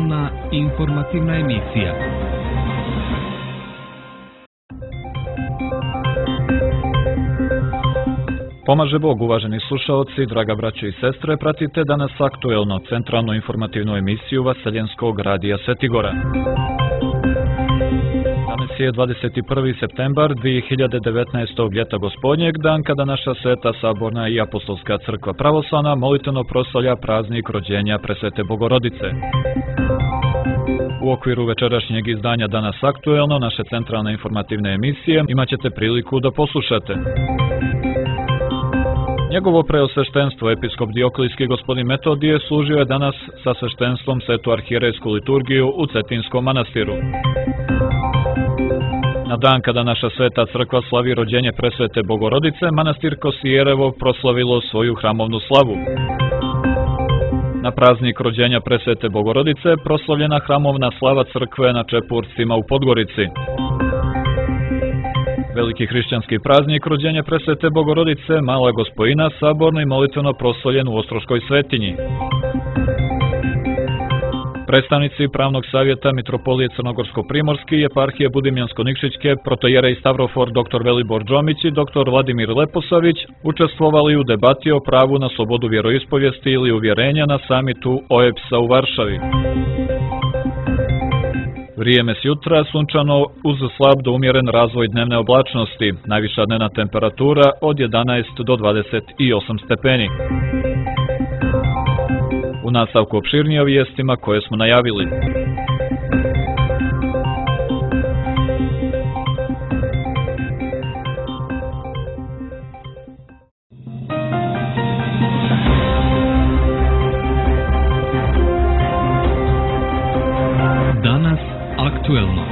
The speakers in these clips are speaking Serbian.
Centralna informativna emisija. Pomaže Bog, uvaženi slušaoci, draga braćo i sestre, pratite danas aktuelno centralnu informativnu emisiju Vaseljenskog radija Svetigora. Danas je 21. septembar 2019. ljeta gospodnjeg, dan kada naša Sveta Saborna i Apostolska crkva pravoslavna molitveno proslavlja praznik rođenja Presvete Bogorodice. U okviru večerašnjeg izdanja Danas aktuelno naše centralne informativne emisije imat ćete priliku da poslušate. Njegovo preosveštenstvo, episkop Dioklijski gospodin Metodije, služio je danas sa sveštenstvom Svetu arhijerejsku liturgiju u Cetinskom manastiru. Na dan kada naša Sveta crkva slavi rođenje Presvete Bogorodice, manastir Kosijerevo proslavilo svoju hramovnu slavu. Na praznik rođenja Presvete Bogorodice proslavljena hramovna slava crkve na Čepurcima u Podgorici. Veliki hrišćanski praznik rođenja Presvete Bogorodice, Mala Gospojina, saborno i molitveno proslavljen u Ostroškoj svetinji. Predstavnici Pravnog savjeta Mitropolije Crnogorsko-Primorski i Eparhije Budimljansko-Nikšićke, protojerej Stavrofor dr. Velibor Džomić i dr. Vladimir Leposavić učestvovali u debati o pravu na slobodu vjeroispovijesti ili uvjerenja na samitu OEBS-a u Varšavi. Vrijeme s jutra sunčano uz slab do umjeren razvoj dnevne oblačnosti, najviša dnevna temperatura od 11 do 28 stepeni. U nastavku opširnije o vijestima koje smo najavili. Danas aktuelno.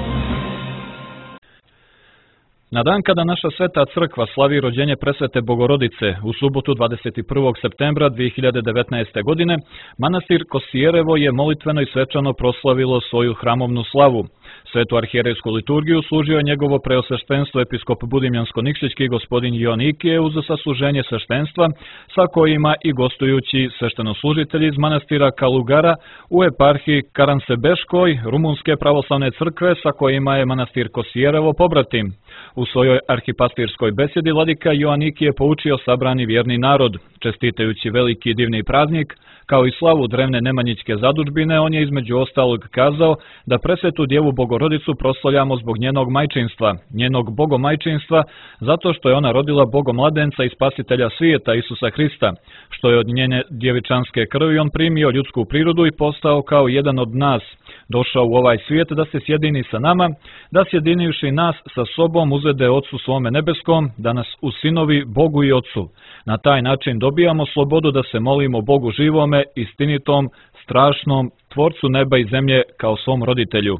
Na dan kada naša Sveta crkva slavi rođenje Presvete Bogorodice u subotu 21. septembra 2019. godine, manastir Kosijerevo je molitveno i svečano proslavilo svoju hramovnu slavu. Svetu arhijerejsku liturgiju služio je njegovo preosveštenstvo episkop Budimljansko-Nikšićki gospodin Joanikije uz sasluženje sveštenstva, sa kojima i gostujući sveštenoslужitelji iz manastira Kalugara u eparhiji Karansebeškoj, Rumunske pravoslavne crkve, sa kojima je manastir Kosijerevo pobratim. U svojoj arhipastirskoj besedi vladika Joanikije poučio sabrani vjerni narod. Čestitajući veliki i divni praznik, kao i slavu drevne nemanjićke zadužbine, on je između ostalog kazao da Presvetu Djevu Bogorodicu proslavljamo zbog njenog majčinstva, njenog bogomajčinstva, zato što je ona rodila bogomladenca i spasitelja svijeta Isusa Hrista, što je od njene djevičanske krvi on primio ljudsku prirodu i postao kao jedan od nas, došao u ovaj svijet da se sjedini sa nama, da sjedinivši nas sa sobom uzvede Otcu svome nebeskom, da nas usinovi Bogu i Otcu. Na taj način dobijamo slobodu da se molimo Bogu živome, istinitom, strašnom, Tvorcu neba i zemlje kao svom roditelju.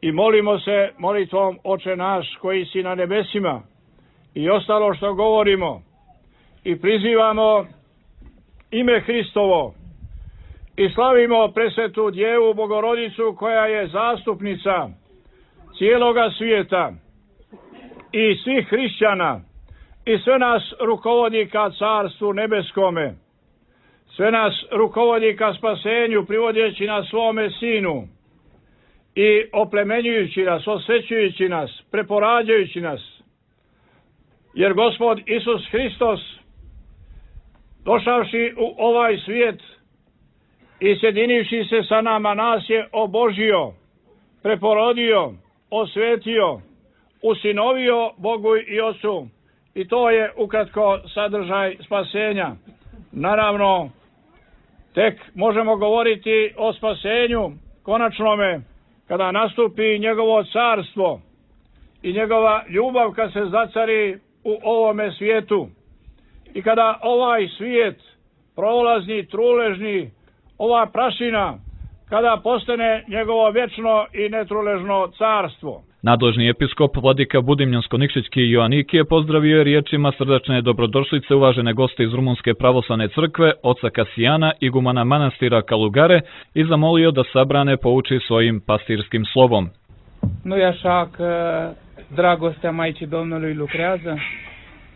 I molimo se molitvom Oče naš koji si na nebesima i ostalo što govorimo i prizivamo ime Hristovo i slavimo Presvetu Djevu Bogorodicu koja je zastupnica cijeloga svijeta i svih hrišćana i sve nas rukovodi ka Carstvu nebeskome, sve nas rukovodi ka spasenju privodeći nas svome Sinu i oplemenjujući nas, osvećujući nas, preporađajući nas. Jer Gospod Isus Hristos, došavši u ovaj svijet i sjedinivši se sa nama, nas je obožio, preporodio, osvetio, usinovio Bogu i Otcu. I to je ukratko sadržaj spasenja. Naravno, tek možemo govoriti o spasenju konačnome kada nastupi njegovo carstvo i njegova ljubav kad se zacari u ovome svijetu. I kada ovaj svijet, prolazni, truležni, ova prašina, kada postane njegovo vječno i netruležno carstvo. Nadležni episkop vladika Budimljansko-Nikšićki Joanikije pozdravio je riječima srdačne dobrodošlice uvažene goste iz Rumunske pravoslavne crkve, oca Kasijana, igumana manastira Calugare, i zamolio da sabrane pouči svojim pastirskim slovom. Nu-i așa că dragostea Maicii Domnului lucrează?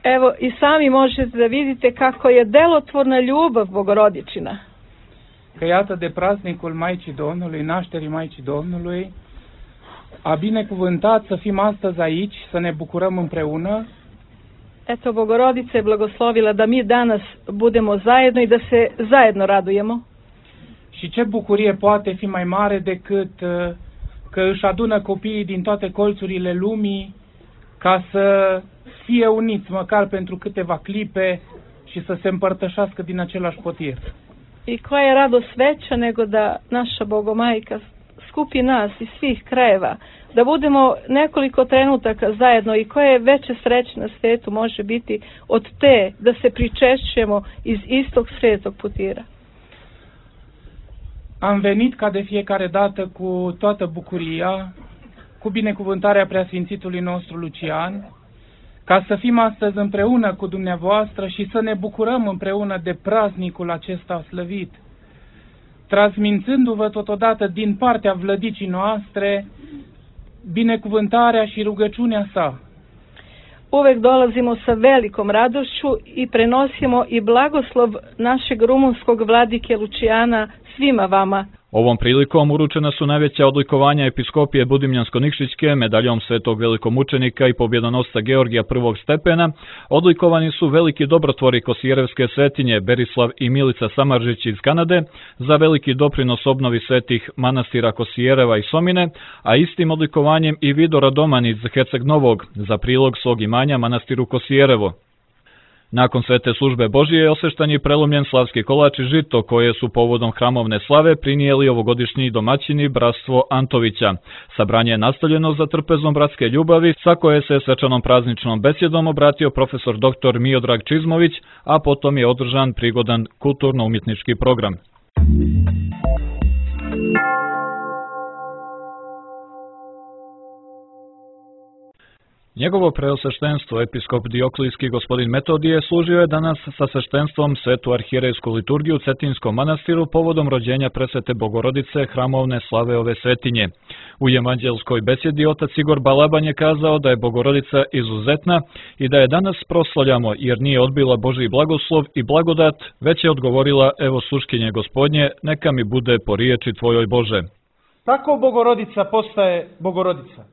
Evo, i sami možete da vidite kako je delotvorna ljubav Bogorodičina. că iată de praznicul Maicii Domnului, nașterii Maicii Domnului, a binecuvântat să fim astăzi aici, să ne bucurăm împreună. Eto, Bogorodica je blagoslovila da mi danas budemo zajedno i da se zajedno radujemo. Și ce bucurie poate fi mai mare decât că își adună copiii din toate colțurile lumii ca să fie uniți măcar pentru câteva clipe și să se împărtășească din același potir. I koja je radost veća nego da naša Bogomajka skupi nas iz svih krajeva, da budemo nekoliko trenutaka zajedno i koje veće sreće na svetu može biti od te da se pričešćujemo iz istog svetog putira. Am venit ca de fiecare dată cu toată bucuria, cu binecuvântarea preasfințitului nostru Lucian, ca să fim astăzi împreună cu dumneavoastră și să ne bucurăm împreună de praznicul acesta slăvit, transmițându-vă totodată din partea vlădicii noastre binecuvântarea și rugăciunea sa. Uvek dolazimo sa velikom radošću i prenosimo i blagoslov našeg rumunskog vladike Lučijana svima vama. Ovom prilikom uručena su najveća odlikovanja episkopije Budimljansko-Nikšićke, medaljom svetog velikomučenika i pobjedonosca Georgija prvog stepena. Odlikovani su veliki dobrotvori Kosijerevske svetinje Berislav i Milica Samaržić iz Kanade za veliki doprinos obnovi svetih manastira Kosijereva i Somine, a istim odlikovanjem i Vido Radoman iz Herceg Novog za prilog svog imanja manastiru Kosijerevo. Nakon svete službe Božije osveštan je prelomljen slavski kolač i žito koje su povodom hramovne slave prinijeli ovogodišnji domaćini bratstvo Antovića. Sabranje je nastavljeno za trpezom bratske ljubavi, sa koje se svečanom prazničnom besjedom obratio profesor dr. Miodrag Čizmović, a potom je održan prigodan kulturno-umjetnički program. Njegovo preosveštenstvo, episkop Dioklijski gospodin Metodije, služio je danas sa sveštenstvom svetu arhijerejsku liturgiju u Cetinskom manastiru povodom rođenja presvete Bogorodice, hramovne slave ove svetinje. U evanđelskoj besjedi otac Igor Balaban je kazao da je Bogorodica izuzetna i da je danas proslavljamo jer nije odbila Božji blagoslov i blagodat, već je odgovorila: evo sluškinje Gospodnje, neka mi bude po riječi tvojoj Bože. Tako Bogorodica postaje Bogorodica.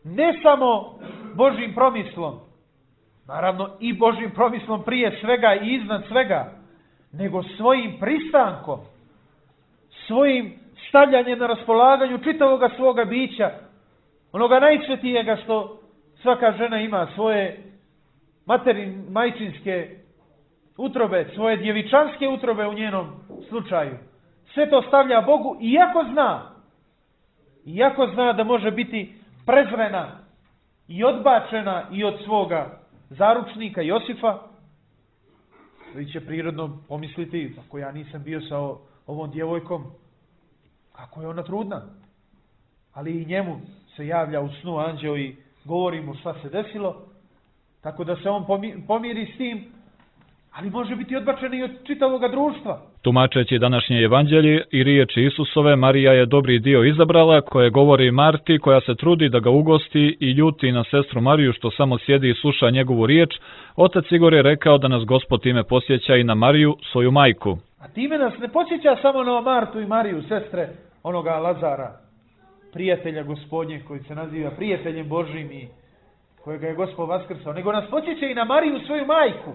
Ne samo Božjim promislom, naravno i Božjim promislom prije svega i iznad svega, nego svojim pristankom, svojim stavljanjem na raspolaganju čitavoga svoga bića, onoga najsvetijega što svaka žena ima, svoje majčinske utrobe, svoje djevičanske utrobe u njenom slučaju. Sve to stavlja Bogu, iako zna da može biti prezrena i odbačena i od svoga zaručnika Josifa, koji će prirodno pomisliti: ako ja nisam bio sa ovom djevojkom, kako je ona trudna? Ali i njemu se javlja u snu anđeo i govori mu šta se desilo, tako da se on pomiri s tim, ali može biti odbačena i od čitavoga društva. Tumačeći današnje evanđelje i riječi Isusove, Marija je dobri dio izabrala, koje govori Marti, koja se trudi da ga ugosti i ljuti na sestru Mariju što samo sjedi i sluša njegovu riječ. Otac Igor je rekao da nas Gospod time posjeća i na Mariju, svoju majku. A time nas ne posjeća samo na Martu i Mariju, sestre onoga Lazara, prijatelja Gospodnje, koji se naziva prijateljem Božjim i kojega je Gospod vaskrsao, nego nas posjeća i na Mariju, svoju majku.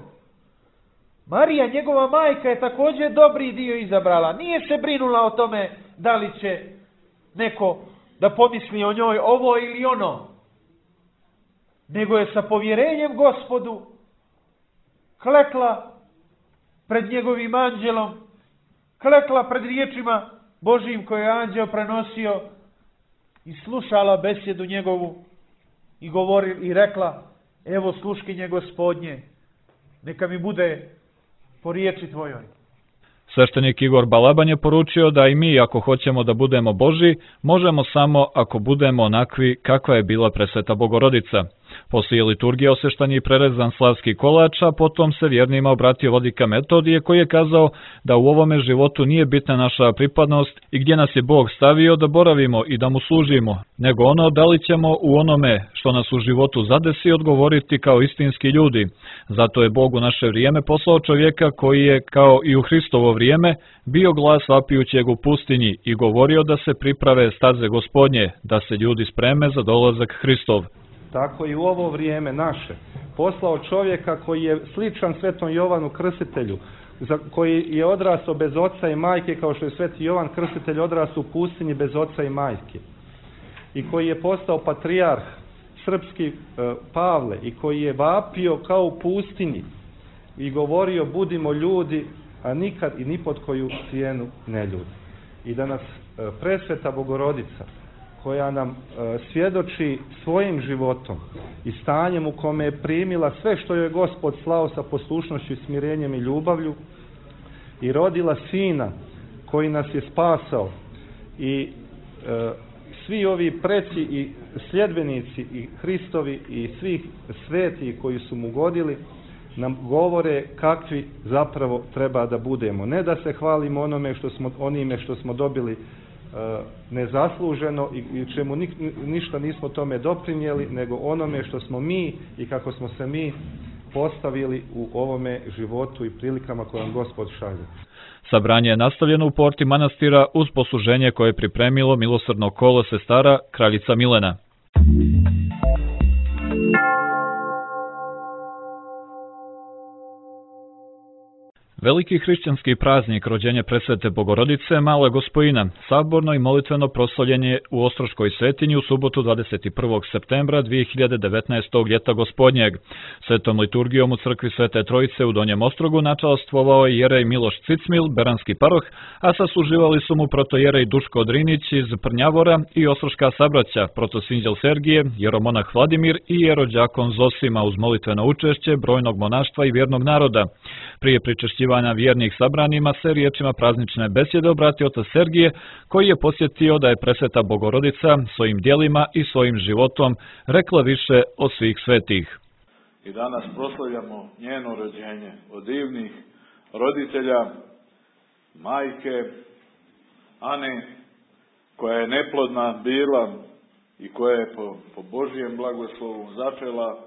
Marija, njegova majka, je također dobri dio izabrala. Nije se brinula o tome da li će neko da pomisli o njoj ovo ili ono, nego je sa povjerenjem Gospodu klekla pred njegovim anđelom, klekla pred riječima Božjim koje je anđeo prenosio i slušala besjedu njegovu i rekla: evo sluškinje Gospodnje, neka mi bude po riječi tvojoj. Sveštenik Igor Balaban je poručio da i mi, ako hoćemo da budemo Božji, možemo samo ako budemo onakvi kakva je bila presveta Bogorodica. Poslije liturgije osveštan je prerezan slavski kolač, a potom se vjernima obratio vladika Metodije koji je kazao da u ovome životu nije bitna naša pripadnost i gdje nas je Bog stavio da boravimo i da mu služimo, nego ono da li ćemo u onome što nas u životu zadesi odgovoriti kao istinski ljudi. Zato je Bog u naše vrijeme poslao čovjeka koji je, kao i u Hristovo vrijeme, bio glas vapijućeg u pustinji i govorio da se priprave staze Gospodnje, da se ljudi spreme za dolazak Hristov. Tako i u ovo vrijeme naše poslao čovjeka koji je sličan Svetom Jovanu Krstitelju, koji je odrastao bez oca i majke, kao što je Sveti Jovan Krstitelj odrastao u pustinji bez oca i majke, i koji je postao patrijarh srpski Pavle, i koji je vapio kao u pustinji i govorio budimo ljudi, a nikad i ni pod koju cijenu ne ljudi. I da nas presveta Bogorodica, koja nam svjedoči svojim životom i stanjem u kome je primila sve što joj Gospod slao sa poslušnošću, smirenjem i ljubavlju, i rodila Sina koji nas je spasao, i svi ovi preci i sljedbenici i Hristovi i svih svetih koji su mu godili nam govore kakvi zapravo treba da budemo. Ne da se hvalimo onime što smo dobili nezasluženo i čemu ništa nismo tome doprinijeli, nego onome što smo mi i kako smo se mi postavili u ovome životu i prilikama koje nam Gospod šalje. Sabranje je nastavljeno u porti manastira uz posluženje koje je pripremilo milosrdno kolo sestara kraljica Milena. Veliki hrišćanski praznik rođenja presvete Bogorodice Male Gospojina saborno i molitveno proslavljen u Ostroškoj svetinji u subotu 21. septembra 2019. ljeta Gospodnjeg. Svetom liturgijom u crkvi Svete Trojice u Donjem Ostrogu načalastvovao je jerej Miloš Cicmil, beranski paroh, a sasluživali su mu protojerej Duško Drinić iz Prnjavora i ostroška sabraća, protosinđel Sergije, jeromonah Vladimir i jerođakon Zosima uz molitveno učešće brojnog monaštva i vjernog naroda. Prije pričešćivanja vjernih sabranima se riječima praznične besjede obratio otac Sergije, koji je posjetio da je presveta Bogorodica svojim djelima i svojim životom rekla više od svih svetih. I danas proslavljamo njeno rođenje od divnih roditelja, majke Ane, koja je neplodna bila i koja je po Božijem blagoslovu začela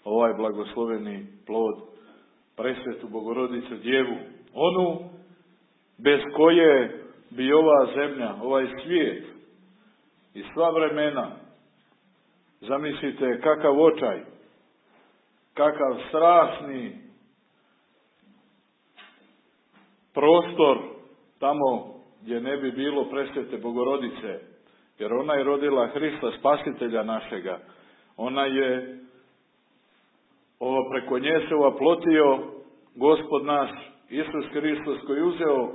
ovaj blagosloveni plod, presvetu Bogorodicu Djevu, onu bez koje bi ova zemlja, ovaj svijet i sva vremena, zamislite kakav očaj, kakav strašni prostor tamo gdje ne bi bilo presvete Bogorodice, jer ona je rodila Hrista Spasitelja našega, ona je preko nje se oplotio Gospod naš, Isus Hristos, koji uzeo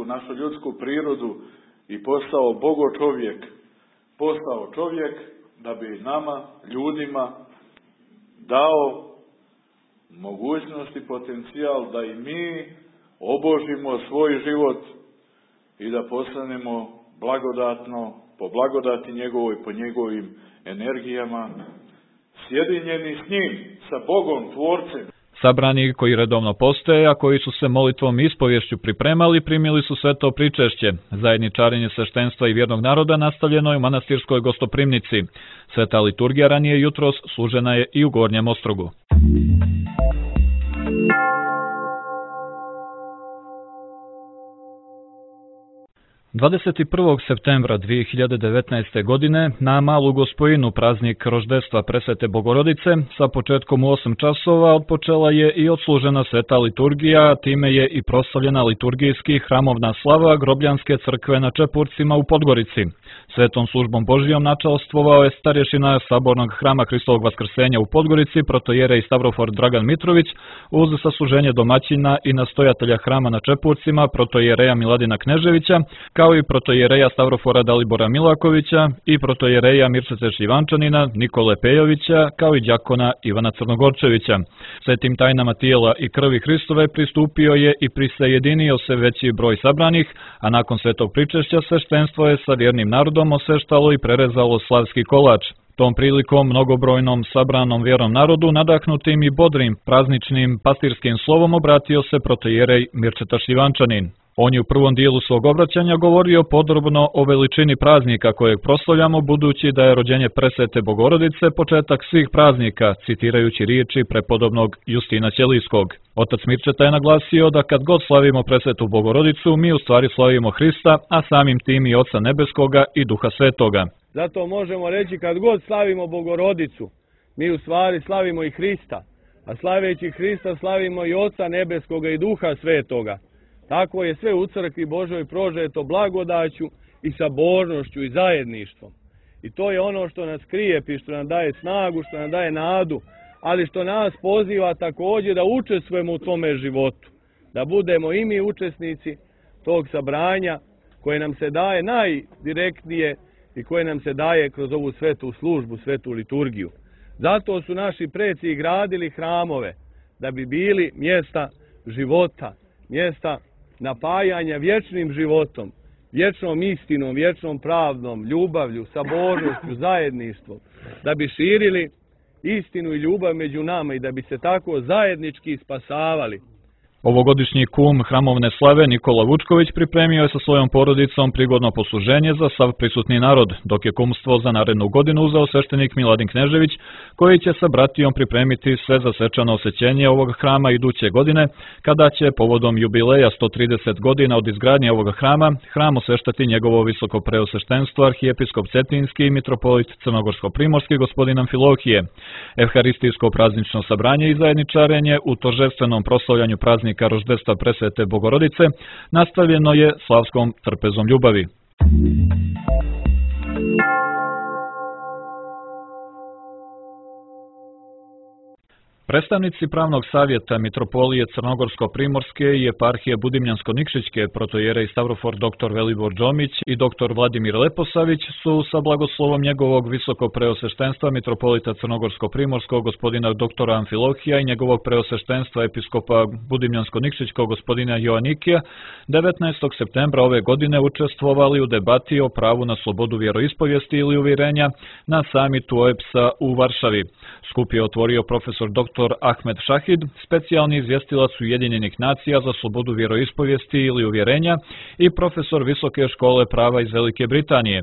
našu ljudsku prirodu i postao Bogo čovjek. Postao čovjek da bi nama, ljudima, dao mogućnost i potencijal da i mi obožimo svoj život i da postanemo blagodatno, po blagodati njegovoj, po njegovim energijama, sjedinjeni s njim, sa Bogom, Tvorcem. Sabrani koji redovno postoje, a koji su se molitvom i ispovješću pripremali, primili su sveto pričešće. Zajedničarenje sveštenstva i vjernog naroda nastavljeno je u manastirskoj gostoprimnici. Sveta liturgija ranije jutros služena je i u Gornjem Ostrogu. 21. septembra 2019. godine na Malu Gospojinu, praznik roždestva presvete Bogorodice, sa početkom u 8 časova odpočela je i odslužena sveta liturgija, time je i proslavljena liturgijski hramovna slava Grobljanske crkve na Čepurcima u Podgorici. Svetom službom Božijom načalstvovao je starješina Sabornog hrama Hristovog Vaskrsenja u Podgorici, protojerej Stavrofor Dragan Mitrović, uz sasluženje domaćina i nastojatelja hrama na Čepurcima, protojereja Miladina Kneževića, kao i protojereja Stavrofora Dalibora Milakovića i protojereja Mircete Šivančanina, Nikole Pejovića, kao i đakona Ivana Crnogorčevića. Svetim tajnama tijela i krvi Hristove pristupio je i prisajedinio se veći broj sabranih, a nakon svetog pričešća sveštenstvo je sa vjernim narodom osveštalo i prerezalo slavski kolač. Tom prilikom mnogobrojnom sabranom vjerom narodu, nadahnutim i bodrim prazničnim pastirskim slovom, obratio se protoijerej Mirčeta Šljivančanin. On je u prvom dijelu svog obraćanja govorio podrobno o veličini praznika kojeg proslavljamo, budući da je rođenje presvete Bogorodice početak svih praznika, citirajući riječi prepodobnog Justina Ćelijskog. Otac Mirčeta je naglasio da kad god slavimo presvetu Bogorodicu, mi u stvari slavimo Hrista, a samim tim i Oca Nebeskoga i Duha Svetoga. Zato možemo reći kad god slavimo Bogorodicu, mi u stvari slavimo i Hrista, a slaveći Hrista slavimo i Oca Nebeskoga i Duha Svetoga. Tako je sve u crkvi Božoj prožeto blagodaću i sabornošću i zajedništvom. I to je ono što nas krijepi, što nam daje snagu, što nam daje nadu, ali što nas poziva također da učestvujemo u tome životu. Da budemo i mi učesnici tog sabranja koje nam se daje najdirektnije i koje nam se daje kroz ovu svetu službu, svetu liturgiju. Zato su naši preci gradili hramove, da bi bili mjesta života, mjesta napajanja vječnim životom, vječnom istinom, vječnom pravdom, ljubavlju, sabornošću, zajedništvom, da bi širili istinu i ljubav među nama i da bi se tako zajednički spasavali. Ovogodišnji kum hramovne slave Nikola Vučković pripremio je sa svojom porodicom prigodno posluženje za sav prisutni narod, dok je kumstvo za narednu godinu uzeo sveštenik Miladin Knežević, koji će sa bratijom pripremiti sve za svečano osvećenje ovog hrama iduće godine, kada će povodom jubileja 130 godina od izgradnje ovog hrama, hram osveštati njegovo visoko preosveštenstvo arhijepiskop Cetinski i mitropolit Crnogorsko-primorski gospodin Amfilohije. Evharistijsko praznično sabranje i zajedničarenje u toržestvenom proslavljanju praznika roždestva presvete Bogorodice nastavljeno je slavskom trpezom ljubavi. Predstavnici pravnog savjeta mitropolije Crnogorsko-primorske i eparhije Budimljansko-Nikšićke protoijerej Stavrofor dr. Velibor Đomić i dr. Vladimir Leposavić su sa blagoslovom njegovog visoko preosveštenstva mitropolita Crnogorsko-primorskog gospodina dr. Amfilohija i njegovog preosveštenstva episkopa Budimljansko-Nikšićkog gospodina Joanikija 19. septembra ove godine učestvovali u debati o pravu na slobodu vjeroispovijesti ili uvjerenja na samitu OEBS-a u Varšavi. Skup je otvorio profesor dr. Ahmed Šahid, specijalni izvjestilac Ujedinjenih nacija za slobodu vjeroispovijesti ili uvjerenja i profesor Visoke škole prava iz Velike Britanije.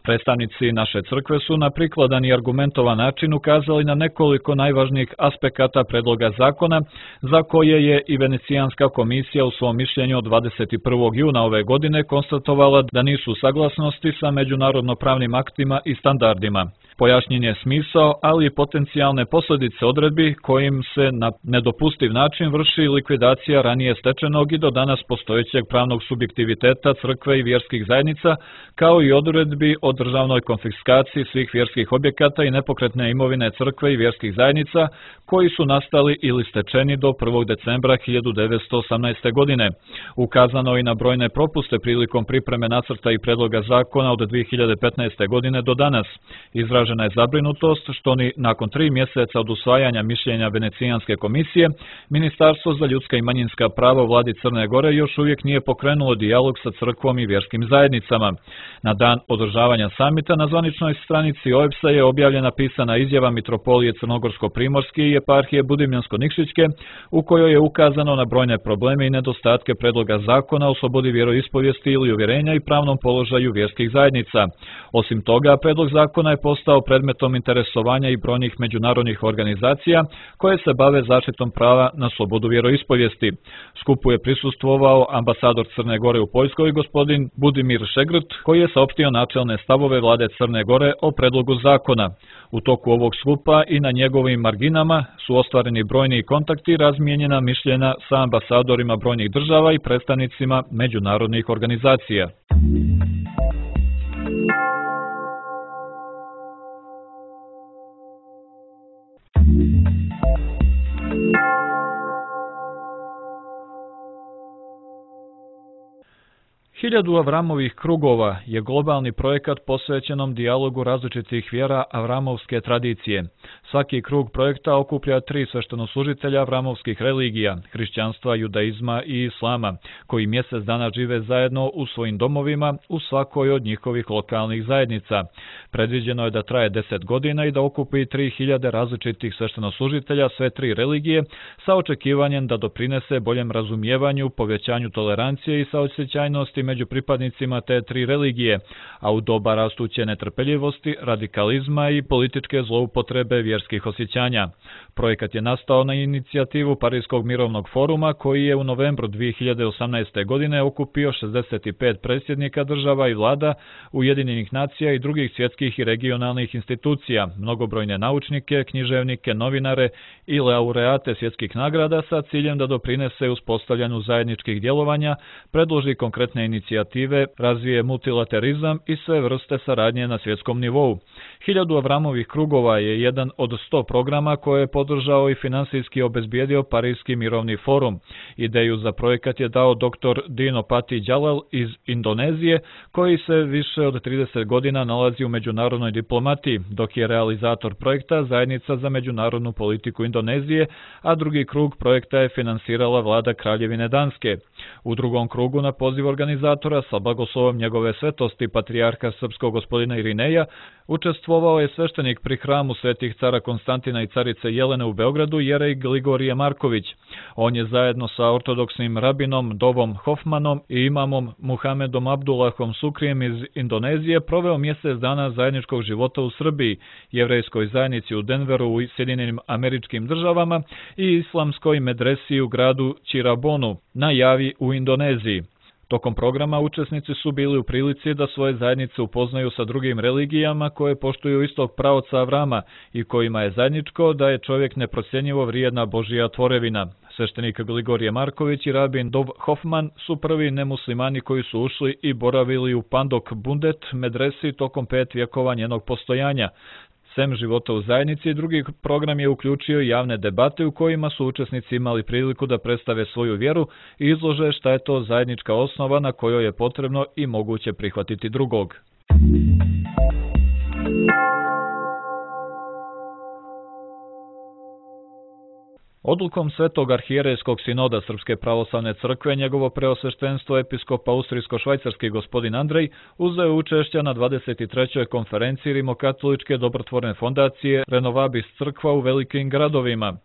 Predstavnici naše crkve su na prikladan i argumentovan način ukazali na nekoliko najvažnijih aspekata predloga zakona, za koje je i Venecijanska komisija u svom mišljenju od 21. juna ove godine konstatovala da nisu u saglasnosti sa međunarodno-pravnim aktima i standardima. Pojašnjen je smisao, ali i potencijalne posljedice odredbi kojim se na nedopustiv način vrši likvidacija ranije stečenog i do danas postojećeg pravnog subjektiviteta crkve i vjerskih zajednica, kao i odredbi o državnoj konfiskaciji svih vjerskih objekata i nepokretne imovine crkve i vjerskih zajednica koji su nastali ili stečeni do 1. decembra 1918. godine. Ukazano i na brojne propuste prilikom pripreme nacrta i predloga zakona od 2015. godine do danas. Izražena je zabrinutost što ni nakon 3 mjeseca od usvajanja mišljenja Venecijanske komisije, Ministarstvo za ljudska i manjinska prava u vladi Crne Gore još uvijek nije pokrenulo dijalog sa crkvom i vjerskim zajednicama. Na dan održavanja samita na zvaničnoj stranici OEBS-a je objavljena pisana izjava mitropolije Crnogorsko-primorske i eparhije Budimljansko-Nikšićke, u kojoj je ukazano na brojne probleme i nedostatke predloga zakona o slobodi vjeroispovijesti ili uvjerenja i pravnom položaju vjerskih zajednica. Osim toga, predlog zakona je postao predmetom interesovanja i brojnih međunarodnih organizacija koje se bave zaštitom prava na slobodu vjeroispovijesti. Skupu je prisustvovao ambasador Crne Gore u Poljskoj gospodin Budimir Šegrt, koji je saopštio načelne stavove vlade Crne Gore o predlogu zakona. U toku ovog skupa i na njegovim marginama su ostvareni brojni kontakti i razmijenjena mišljenja sa ambasadorima brojnih država i predstavnicima međunarodnih organizacija. Hiljadu Avramovih krugova je globalni projekat posvećenom dijalogu različitih vjera avramovske tradicije. Svaki krug projekta okuplja 3 sveštenoslужitelja avramovskih religija, hrišćanstva, judaizma i islama, koji mjesec dana žive zajedno u svojim domovima u svakoj od njihovih lokalnih zajednica. Predviđeno je da traje 10 godina i da okupi 3000 različitih sveštenoslужitelja sve 3 religije sa očekivanjem da doprinese boljem razumijevanju, povećanju tolerancije i saosećajnosti među pripadnicima te 3 religije, a u doba rastuće netrpeljivosti, radikalizma i političke zloupotrebe vjerskih osjećanja. Projekat je nastao na inicijativu Parijskog mirovnog foruma koji je u novembru 2018. godine okupio 65 predsjednika država i vlada Ujedinjenih nacija i drugih svjetskih i regionalnih institucija, mnogobrojne naučnike, književnike, novinare i laureate svjetskih nagrada sa ciljem da doprinese uspostavljanju zajedničkih djelovanja, predloži konkretne inicijative, razvije multilaterizam i sve vrste saradnje na svjetskom nivou. 1000 Avramovih krugova je jedan od 100 programa koje je podržao i finansijski obezbijedio Parijski mirovni forum. Ideju za projekat je dao dr. Dino Pati Djalal iz Indonezije, koji se više od 30 godina nalazi u međunarodnoj diplomatiji, dok je realizator projekta Zajednica za međunarodnu politiku Indonezije, a drugi krug projekta je finansirala vlada Kraljevine Danske. U drugom krugu na poziv organizatora sa blagoslovom njegove svetosti patrijarha srpskog gospodina Irineja učestvovao je sveštenik pri hramu svetih cara Konstantina i carice Jelene u Beogradu, Jerej Gligorije Marković. On je zajedno sa ortodoksnim rabinom Dovom Hofmanom i imamom Muhamedom Abdullahom Sukrijem iz Indonezije proveo mjesec dana zajedničkog života u Srbiji, jevrejskoj zajednici u Denveru u Sjedinjenim Američkim Državama i islamskoj medresi u gradu Cirebonu na Javi u Indoneziji. Tokom programa učesnici su bili u prilici da svoje zajednice upoznaju sa drugim religijama koje poštuju istog pravca Avrama i kojima je zajedničko da je čovjek neprocjenjivo vrijedna Božja tvorevina. Sveštenik Gligorije Marković i rabin Dov Hofman su prvi nemuslimani koji su ušli i boravili u Pandok Bundet medresi tokom 5 vjekova njenog postojanja. Sem života u zajednici, drugi program je uključio javne debate u kojima su učesnici imali priliku da predstave svoju vjeru i izlože šta je to zajednička osnova na kojoj je potrebno i moguće prihvatiti drugog. Odlukom Svetog arhijerejskog sinoda Srpske pravoslavne crkve njegovo preosveštenstvo episkop austrijsko-švajcarski gospodin Andrej uzeo učešća na 23. konferenciji Rimokatoličke dobrotvorne fondacije Renovabis crkva u velikim gradovima.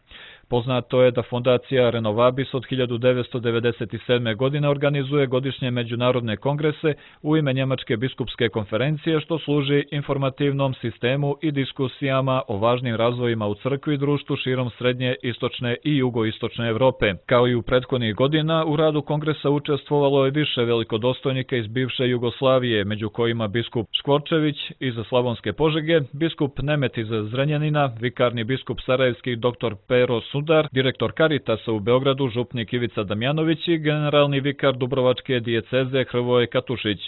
Poznato je da fondacija Renovabis od 1997. godine organizuje godišnje međunarodne kongrese u ime Njemačke biskupske konferencije, što služi informativnom sistemu i diskusijama o važnim razvojima u crkvi i društvu širom srednje, istočne i jugoistočne Evrope. Kao i u prethodnih godina, u radu kongresa učestvovalo je više velikodostojnika iz bivše Jugoslavije, među kojima biskup Škvorčević iz Slavonske Požege, biskup Nemet iz Zrenjanina, vikarni biskup sarajevski dr. Pero Sudar, direktor Karitasa u Beogradu župnik Ivica Damjanović i generalni vikar Dubrovačke dijeceze Hrvoje Katušić.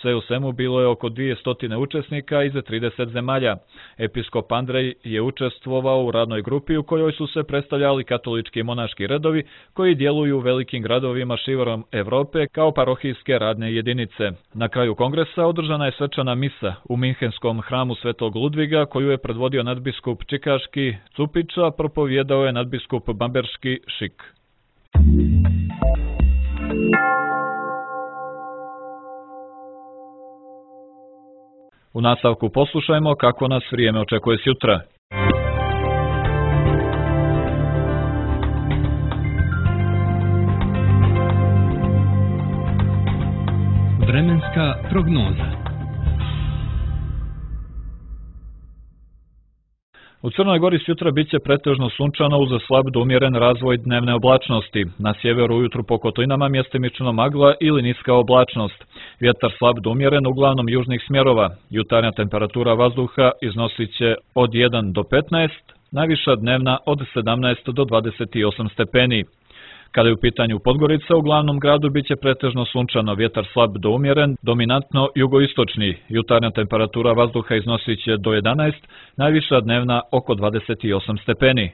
Sve u svemu bilo je oko 200 učesnika iz 30 zemalja. Episkop Andrej je učestvovao u radnoj grupi u kojoj su se predstavljali katolički monaški redovi koji djeluju u velikim gradovima širom Evrope kao parohijske radne jedinice. Na kraju kongresa održana je svečana misa u Minhenskom hramu Svetog Ludviga koju je predvodio nadbiskup Čikaški Cupića, propovjedao je nadbiskup Bamberški Šik. U nastavku poslušajmo kako nas vrijeme očekuje sutra. Vremenska prognoza. U Crnoj Gori sutra biće pretežno sunčano uz slab do umjeren razvoj dnevne oblačnosti. Na sjeveru ujutru po kotlinama mjestimično magla ili niska oblačnost. Vjetar slab do umjeren uglavnom južnih smjerova. Jutarnja temperatura vazduha iznosit će od 1 do 15, najviša dnevna od 17 do 28 stepeni. Kada je u pitanju Podgorica, u glavnom gradu biće pretežno sunčano, vjetar slab do umjeren, dominantno jugoistočni. Jutarnja temperatura vazduha iznosit će do 11, najviša dnevna oko 28 stepeni.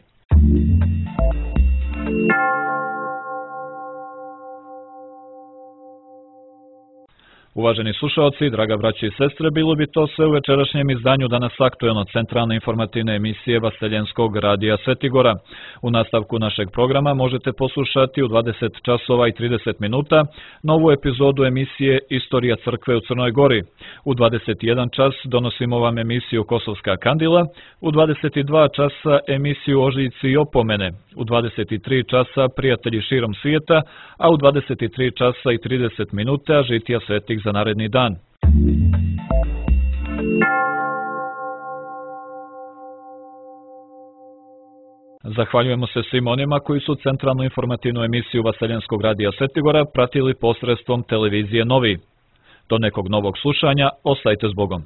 Uvaženi slušalci, draga braći i sestre, bilo bi to sve u večerašnjem izdanju danas aktuelno centralne informativne emisije Vaseljenskog radija Svetigora. U nastavku našeg programa možete poslušati u 20 časova i 30 minuta novu epizodu emisije Istorija crkve u Crnoj Gori. U 21 čas donosimo vam emisiju Kosovska kandila, u 22 časa emisiju Ožiljci i opomene, u 23 časa Prijatelji širom svijeta, a u 23 časa i 30 minuta žitija svetih za naredni dan. Zahvaljujemo se svim onima koji su centralnu informativnu emisiju Vaseljenskog radija Svetigora pratili posredstvom televizije Novi. Do nekog novog slušanja, ostajte s Bogom.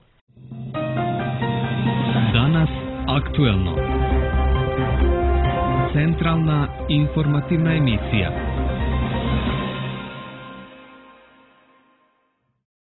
Danas aktuelno. Centralna informativna emisija.